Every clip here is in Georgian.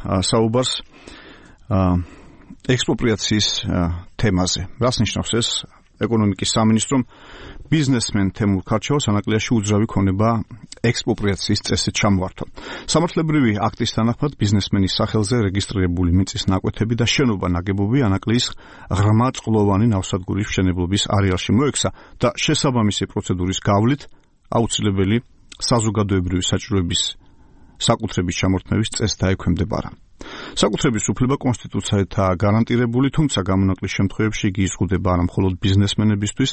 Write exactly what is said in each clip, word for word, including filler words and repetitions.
საუბარს ექსპროპრიაციის თემაზე. რას ნიშნავს ეს? ეკონომიკის სამინისტრომ ბიზნესმენ თემურ ქარჩაოს ანაკლიაში უძრავი ქონება ექსპროპრიაციის წესით ჩამოართვა. სამართლებრივი აქტის თანახმად ბიზნესმენის სახელზე რეგისტრირებული მიწის ნაკვეთები და შენობა ნაგებობი ანაკლის ღრმა წყლოვანი ნავსადგურის მშენებლობის არეალში მოექცა და შესაბამისი პროცედურის გავლით აუცილებელი საზოგადოებრივი საჭიროების საკუთრების ჩამორთმევის წესს დაექვემდებარა. საკუთრების უფლება კონსტიტუციითაა გარანტირებული, თუმცა გამონაკლის შემთხვევებში იგი იზღუდება არა მხოლოდ ბიზნესმენებისთვის,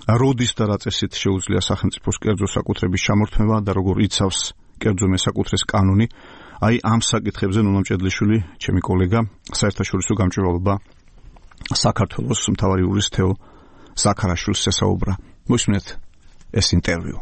როდის და რა წესით შეუძლია სახელმწიფოს კერძო საკუთრების ჩამორთმევა და როგორ იცავს კერძო მესაკუთრეს კანონი. აი ამ საკითხებზე ნუნა მჭედლიშვილი, ჩემი კოლეგა, საერთაშორისო გამჭვირვალობა საქართველოს მთავარი იურისტ თეო ზაქარაშვილს ესაუბრა. მოისმინეთ ეს ინტერვიუ.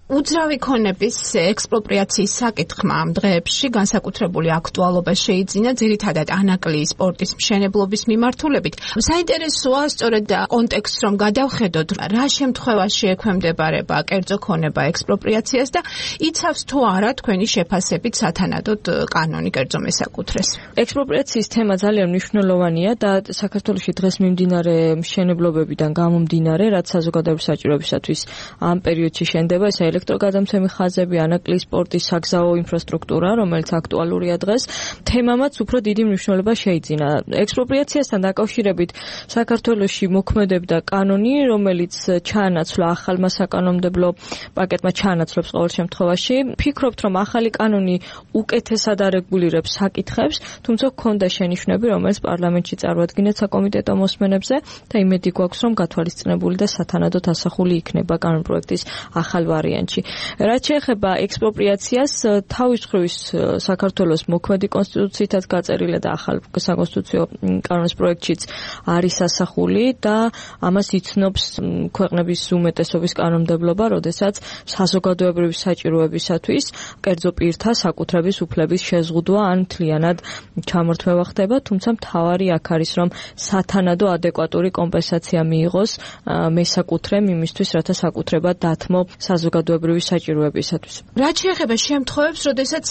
უძრავი ქონების ექსპროპრიაციის საკითხმა ამ დღეებში განსაკუთრებული აქტუალობა შეიძინა ძირითადად ანაკლიის პორტის მშენებლობის მიმართულებით. საინტერესოა სწორედ კონტექსტს რომ გადავხედოთ, რა შემთხვევაში ექვემდებარება კერძო ქონება ექსპროპრიაციას და იცავს თუ არა თქვენი შეფასებით სათანადოდ კანონი კერძო მესაკუთრეს. ექსპროპრიაციის თემა ძალიან მნიშვნელოვანია და საქართველოში დღეს მიმდინარე მშენებლობებიდან გამომდინარე, რაც საზოგადოების საჭიროებისათვის ამ პერიოდში შენდება, ეს ელექტროგადამცემი ხაზები, ანაკლის პორტის საგზაო ინფრასტრუქტურა, რომელიც აქტუალურია დღეს, თემამაც უფრო დიდი მნიშვნელობა შეიძინა. ექსპროპრიაციასთან დაკავშირებით საქართველოში მოქმედებდა კანონი, რომელიც ჩაანაცვლა ახალმა საკანონმდებლო პაკეტმა ჩაანაცვლებს ყოველ შემთხვევაში. ფიქრობთ, რომ ახალი კანონი უკეთესად არეგულირებს საკითხებს, თუმცა ჰქონდა შენიშვნები, რომელიც პარლამენტში წარუადგინეთ საკომიტეტო მოსმენებზე და იმედი გვაქვს, რომ გათვალისწინებული და სათანადოდ ასახული იქნება კანონპროექტის ახალ ვარიანტი. რაც შეეხება ექსპროპრიაციას, თავის მხრივ საქართველოს მოქმედი კონსტიტუციითაც გაწერილი და ახალ საკონსტიტუციო კანონის პროექტშიც არის ასახული და ამას იცნობს ქვეყნების უმეტესობის კანონმდებლობა, როდესაც საზოგადოებრივი საჭიროებისათვის კერძო პირთა საკუთრების უფლების შეზღუდვა ან მთლიანად ჩამორთმევა ხდება, თუმცა მთავარი აქ არის, რომ სათანადო ადეკვატური კომპენსაცია მიიღოს მესაკუთრემ იმისთვის, რათა საკუთრება დათმო საზოგადოებრივი საჭიროებისათვის. რაც შეეხება შემთხვევებს, როდესაც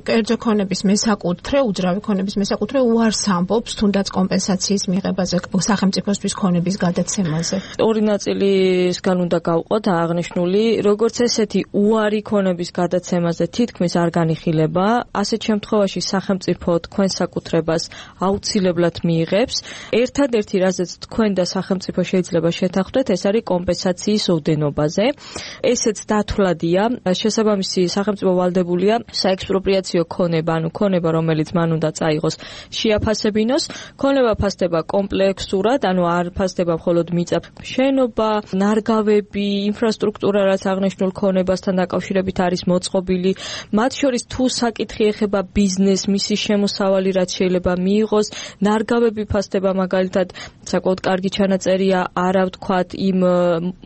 კერძო ქონების მესაკუთრე, უძრავი ქონების მესაკუთრე უარს ამბობს თუნდაც კომპენსაციის მიღებაზე, სახელმწიფოსთვის ქონების გადაცემაზე. ორი ნაწილისგან უნდა გავყოთ აღნიშნული, როგორც ესეთი უარი ქონების გადაცემაზე თითქმის არ განიხილება, ასეთ შემთხვევაში სახელმწიფო თქვენ საკუთრებას აუცილებლად მიიღებს. ერთადერთი, რაზეც თქვენ და სახელმწიფო შეიძლება შეთანხმდეთ, ეს არის კომპენსაციის ოდენობაზე. ესეც დათვლადია, შესაბამისი სახელმწიფო ვალდებულია საექსპროპრიაციო ქონება, ანუ ქონება, რომელიც მან უნდა წაიღოს, შეაფასებინოს. ქონება ფასდება კომპლექსურად, ანუ არ ფასდება მხოლოდ მიწა, შენობა, ნარგავები, ინფრასტრუქტურა, რაც აღნიშნულ ქონებასთან დაკავშირებით არის მოწყობილი. მათ შორის თუ საკითხი ეხება ბიზნესს, მისი შემოსავალი, რაც შეიძლება მიიღოს, ნარგავები ფასდება მაგალითად, საკმაოდ კარგი ჩანაწერია, არა ვთქვათ იმ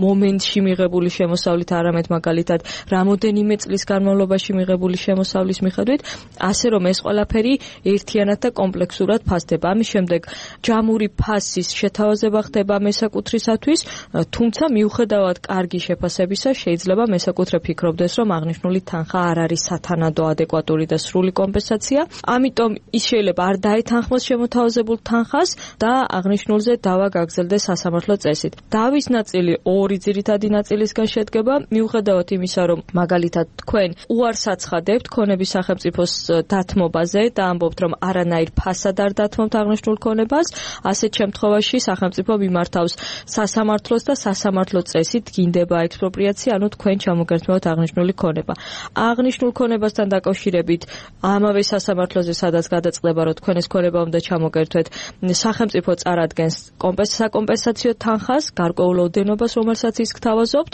მომენტში მიღებული შემოსავლით, არამედ მაგალითად რამოდენიმე წლის განმავლობაში მიღებული შემოსავლის მიხედვით, ასე რომ ეს ყველაფერი ერთიანად და კომპლექსურად ფასდება. ამის შემდეგ ჯამური ფასის შეთავაზება ხდება მესაკუთრისათვის, თუმცა მიუხედავად კარგი შეფასებისა, შეიძლება მესაკუთრე ფიქრობდეს, რომ აღნიშნული თანხა არ არის სათანადო ადეკვატური და სრული კომპენსაცია, ამიტომ ის შეიძლება არ დაეთანხმოს შემოთავაზებულ თანხას და აღნიშნულზე დავა გაგრძელდეს სასამართლო წესით. დავის ნაწილი ორი ძირითადი ნაწილისგან შედგება, მიუხედავად იმისა, რომ მაგალითად თქვენ უარს აცხადებთ ქონების სახელმწიფოს დათმობაზე და ამბობთ, რომ არანაირ ფასად არ დათმობთ აღნიშნულ ქონებას, ასეთ შემთხვევაში სახელმწიფო მიმართავს სასამართლოს და სასამართლო წესით გინდება ექსპროპრიაცია, ანუ თქვენ ჩამოგერთმევთ აღნიშნული ქონება. აღნიშნულ ქონებასთან დაკავშირებით ამავე სასამართლოზე, სადაც გადაწყდება, რომ თქვენ ეს ქონება უნდა ჩამოგერთვეთ, სახელმწიფო წარადგენს საკომპენსაციო თანხას, გარკვეულ ოდენობას, რომელსაც ის გთავაზობთ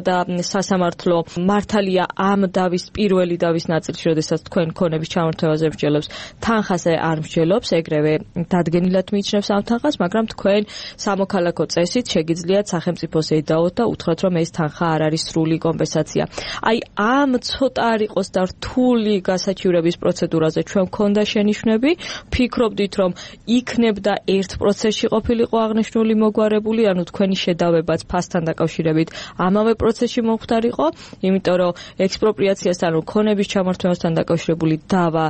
და სასამართლო მართალია ამ დავის პირველი დავის ნაწილში, როდესაც თქვენ ქონების ჩამორთმევაზე მსჯელობს, თანხაზე არ მსჯელობს, ეგრევე დადგენილად მიიჩნევს ამ თანხას, მაგრამ თქვენ სამოქალაქო წესით შეგიძლიათ სახელმწიფოს ედაოთ და უთხრათ, რომ ეს თანხა არ არის სრული კომპენსაცია. აი ამ ცოტა არ იყოს და რთული გასაჩივრების პროცედურაზე ჩვენ მქონდა შენიშვნები, ფიქრობდით, რომ იქნებდა ერთ პროცესში ყოფილიყო აღნიშნული მოგვარებული, ანუ თქვენი შედავებაც ფასთან დაკავშირებით ამავე პროცესში მომხდარიყო იყო, იმიტომ რომ ექსპროპრიაციასთან, ქონების ჩამართვასთან დაკავშირებული დავა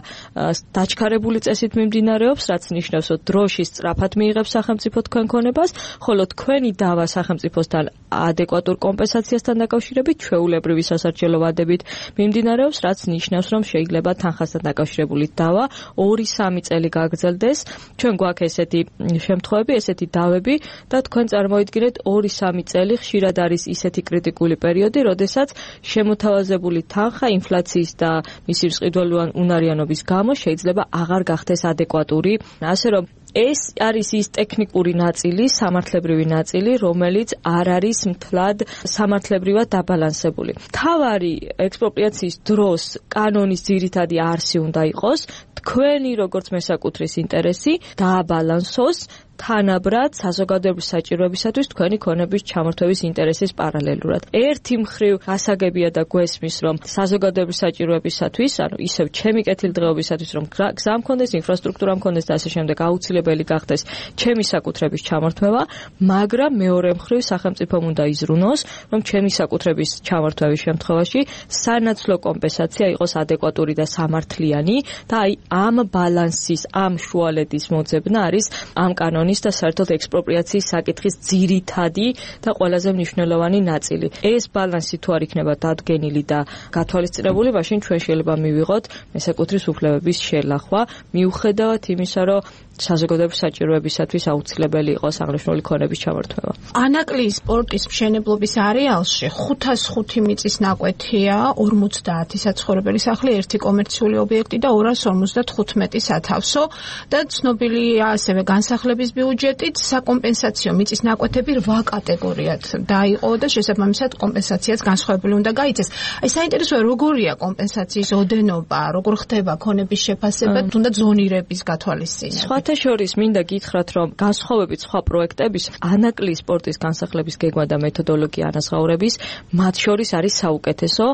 დაჩქარებული წესით მიმდინარეობს, რაც ნიშნავს, რომ დროში სწრაფად მიიღებს სახელმწიფო თქვენ ქონებას, ხოლო თქვენი დავა სახელმწიფოსთან ადეკვატურ კომპენსაციასთან დაკავშირებით ჩვეულებრივი სასარგებლო ვადებით მიმდინარეობს, რაც ნიშნავს, რომ შეიძლება თანხასთან დაკავშირებული დავა ორი სამი წელი გაგრძელდეს. ჩვენ გვაქვს ესეთი შემთხვევები, ესეთი დავები და თქვენ წარმოიდგინეთ ორი სამი წელი ხშირად არის ისეთი კრიტიკული პერიოდი, როდესაც შემოთავაზებული თანხა ინფლაციის და მისი მსყიდველოვანი უნარიანობის გამო შეიძლება აღარ გახდეს ადეკვატური, ასე რომ ეს არის ის ტექნიკური ნაწილი, სამართლებრივი ნაწილი, რომელიც არ არის მთლად სამართლებრივად დაბალანსებული. თავარი ექსპროპრიაციის დროს კანონის ძირითადი არსი უნდა იყოს, თქვენი როგორც მესაკუთრის ინტერესი დააბალანსოს თანაბრად საზოგადოების საჭიროებისათვის თქვენი ქონების ჩამორთვების ინტერესის პარალელურად. ერთი მხრივ გასაგებია და გვესმის, რომ საზოგადოების საჭიროებისათვის, ანუ ისევ ჩემი კეთილდღეობისათვის, რომ გზა მქონდეს, ინფრასტრუქტურა მქონდეს და ასე შემდეგ აუცილებელი გახდეს ჩემი საკუთრების ჩამორთმევა, მაგრამ მეორე მხრივ სახელმწიფომ უნდა იზრუნოს, რომ ჩემი საკუთრების ჩამორთმევის შემთხვევაში სანაცვლო კომპენსაცია იყოს ადეკვატური და სამართლიანი და აი ამ ბალანსის, ამ შუალედის მოძებნა არის ამ კანონის და საერთოდ ექსპროპრიაციის საკითხის ძირითადი და ყველაზე მნიშვნელოვანი ნაწილი. ეს ბალანსი თუ არ იქნება დადგენილი და გათვალისწინებული, მაშინ ჩვენ შეიძლება მივიღოთ მესაკუთრის უფლებების შელახვა, მიუხედავად იმისა, რომ საზოგადოების საჭიროებისათვის აუცილებელი იყოს აღნიშნული ქონების ჩამორთმევა. ანაკლიის სპორტის მშენებლობის არეალში ხუთას ხუთი მიწის ნაკვეთია, ორმოცდაათი საცხოვრებელი სახლი, ერთი კომერციული ობიექტი და ორას ორმოცდათხუთმეტი სათავსო და ცნობილია ასევე განსახლების ბიუჯეტით საკომპენსაციო მიწის ნაკვეთები რვა კატეგორიად დაიყო და შესაბამისად კომპენსაციაც განსხვავებული უნდა გაიცეს. აი საინტერესოა როგორია კომპენსაციის ოდენობა, როგორ ხდება ქონების შეფასება, თუნდაც ზონირების გათვალისწინება. შორის მინდა გითხრათ, რომ განსხვავებით სხვა პროექტების ანაკლიის სპორტის განსახლების გეგმა და მეთოდოლოგია ანაზღაურების მათ შორის არის საუკეთესო,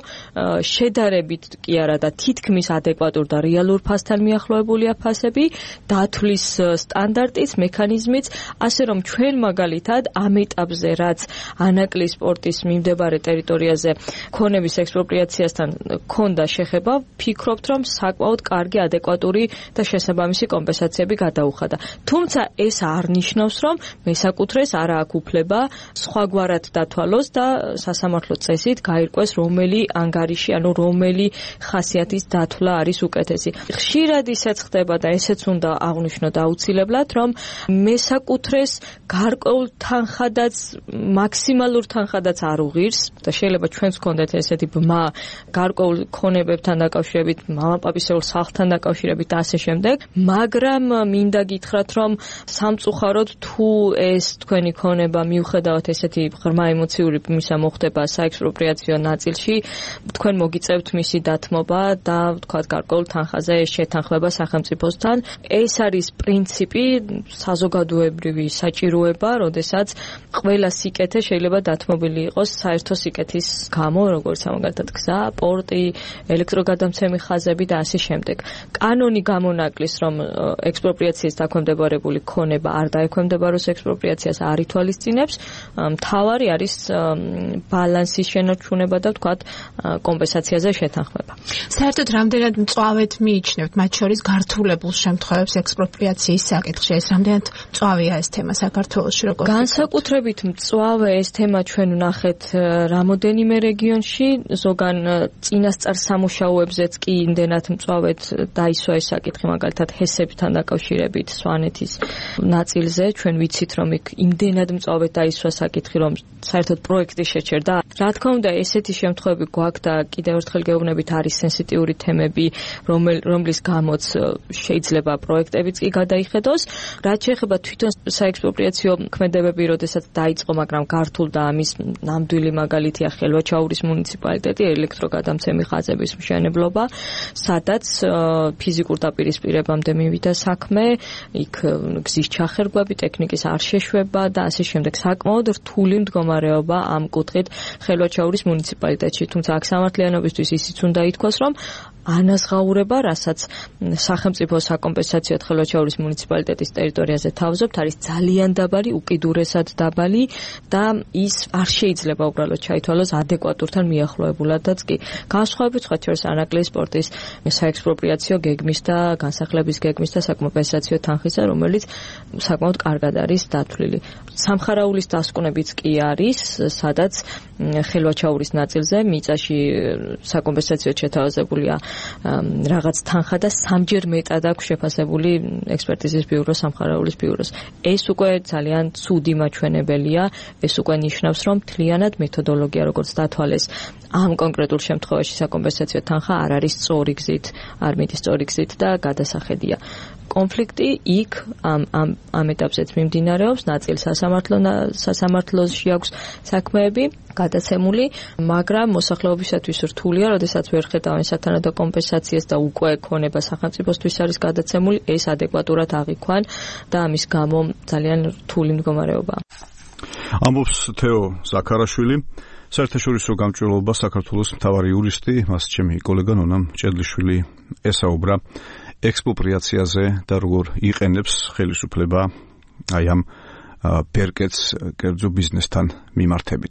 შედარებით კი არა და თითქმის ადეკვატურ და რეალურ ფასთან მიახლოებულია ფასები, დათვლის სტანდარტიც, მექანიზმიც, ასე რომ ჩვენ მაგალითად ამ ეტაპზე, რაც ანაკლიის სპორტის მიმდებარე ტერიტორიაზე ქონების ექსპროპრიაციასთან ქონდა შეხება, ვფიქრობთ, რომ საკმაოდ კარგი, ადეკვატური და შესაბამისი კომპენსაციები გადაუხადა. თუმცა ეს არ ნიშნავს, რომ მესაკუთრეს არ აქვს უფლება სხვაგვარად დათვალოს და სასამართლო წესით გაირკვეს რომელი ანგარიში, ანუ რომელი ხასიათის დათვლა არის უკეთესი. ხშირად ისეც ხდება და ესეც უნდა აღვნიშნოთ აუცილებლად, რომ მესაკუთრეს გარკვეულ თანხადაც, მაქსიმალურ თანხადაც არ უღირს და შეიძლება ჩვენს გქონდეთ ესეთი ბმა გარკვეულ ქონებებთან დაკავშირებით, მამაპაპისეულ სახლთან დაკავშირებით და ასე შემდეგ, მაგრამ მინდა გითხრათ, რომ სამწუხაროდ თუ ეს თქვენი ქონება მიუხედავად ესეთი ღრმა ემოციური მისა მოხდება საექსპროპრიაციო ნაწილში, თქვენ მოგიწევთ მისი დათმობა და თქვათ გარკვეულ თანხაზე შეთანხმება სახელმწიფოსთან. ეს არის პრინციპი, საზოგადოებრივი საჭიროება, როდესაც ყველა სიკეთე შეიძლება დათმობილი იყოს საერთო სიკეთის გამო, როგორც ამაგათად გზა, პორტი, ელექტროგადამცემი ხაზები და ასე შემდეგ. კანონი გამონაკლის, რომ ექსპროპრიაციას დაქვემდებარებული ქონება არ დაექვემდებაროს ექსპროპრიაციას არ ითვალისწინებს, მთავარი არის ბალანსის შენარჩუნება და ვთქვათ კომპენსაციაზე შეთანხმება. საერთოდ რამდენად მწვავედ მიიჩნევთ მათ შორის გართულებულ შემთხვევებს ექსპროპრიაციის საკითხში? ეს რამდენად მწვავეა ეს თემა საქართველოში, როგორ განსაკუთრებით მწვავე ეს თემა ჩვენ ვნახეთ რამოდენიმე რეგიონში, ზოგან წინასწარ სამუშაოებზეც კი იმდენად მწვავედ დაისვა ეს საკითხი, მაგალითად ჰესებთან დაკავშირებით სვანეთის ნაწილზე, ჩვენ ვიცით, რომ იქ იმდენად მწვავედ დაისვა საკითხი, რომ საერთოდ პროექტი შეჩერდა. რა თქმა უნდა, ესეთი შემთხვევები გვაქვს და კიდევ ერთხელ გეუბნებით, არის სენსიტიური თემები, რომლის გამოც შეიძლება პროექტებიც კი გადაიხედოს. რაც შეეხება თვითონ საექსპროპრიაციო ქმედებები, როდესაც დაიწყო, მაგრამ გართულდა ამის ნამდვილი მაგალითია ხელვაჩაურის მუნიციპალიტეტი, ელექტროგადამცემი ხაზების მშენებლობა, სადაც ფიზიკურ დაპირისპირებამდე მივიდა საქმე, იქ გზის ჩახერგვები, ტექნიკის არ შეშვება და ასე შემდეგ. საკმაოდ რთული მდგომარეობა ამ კუთხით ხელვაჩაურის მუნიციპალიტეტში. თუმცა აქ სამართლიანობისთვის ისიც უნდა ითქვას, რომ ანაზღაურება, რასაც სახელმწიფო საკომპენსაციო ხელვაჩაურის მუნიციპალიტეტის ტერიტორიაზე თავზობთ, არის ძალიან დაბალი, უკიდურესად დაბალი და ის არ შეიძლება უბრალოდ ჩაითვალოს ადეკვატურთან მიახლოებულადაც კი. განსხვავებით სხვა შორის ანაკლიის სპორტის საექსპროპრიაციო გეგმის და განსახლების გეგმის და საკომპენსაციო თანხისა, რომელიც საკმაოდ კარგად არის დათვლილი. სამხარაულის დასკვნებიც კი არის, სადაც ხელვაჩაურის ნაწილზე მიწაში საკომპენსაციო შეთავაზებულია რაღაც თანხა და სამჯერ მეტად აქვს შეფასებული ექსპერტიზის ბიურო სამხარაულის ბიუროს. ეს უკვე ძალიან ცუდი მაჩვენებელია, ეს უკვე ნიშნავს, რომ მთლიანად მეთოდოლოგია, როგორც დათვალეს ამ კონკრეტულ შემთხვევაში საკომპენსაციო თანხა არ არის სწორი გზით, არ მიდის სწორი გზით და გადასახედია. კონფლიქტი იქ ამ ამ ამ ეტაპზეც მიმდინარეობს, ნაწილ სასამართლო სასამართლოში აქვს საქმეები გადაცემული, მაგრამ მოსახლეობისათვის რთულია, როდესაც ვერ ხედავენ სათანადო კომპენსაციას და უკვე ქონება სახელმწიფოსთვის არის გადაცემული, ეს ადეკვატურად აღიქვან და ამის გამო ძალიან რთული მდგომარეობაა. ამბობს თეო ზაქარაშვილი, საერთაშორისო გამჭვირვალობა საქართველოს მთავარი იურისტი, მას ჩემი კოლეგა ნონა ჭედლიშვილი ესაუბრა ექსპროპრიაციაზე და როგორ იყენებს ხელისუფლება აი ამ ბერკეტს კერძო ბიზნესთან მიმართებით.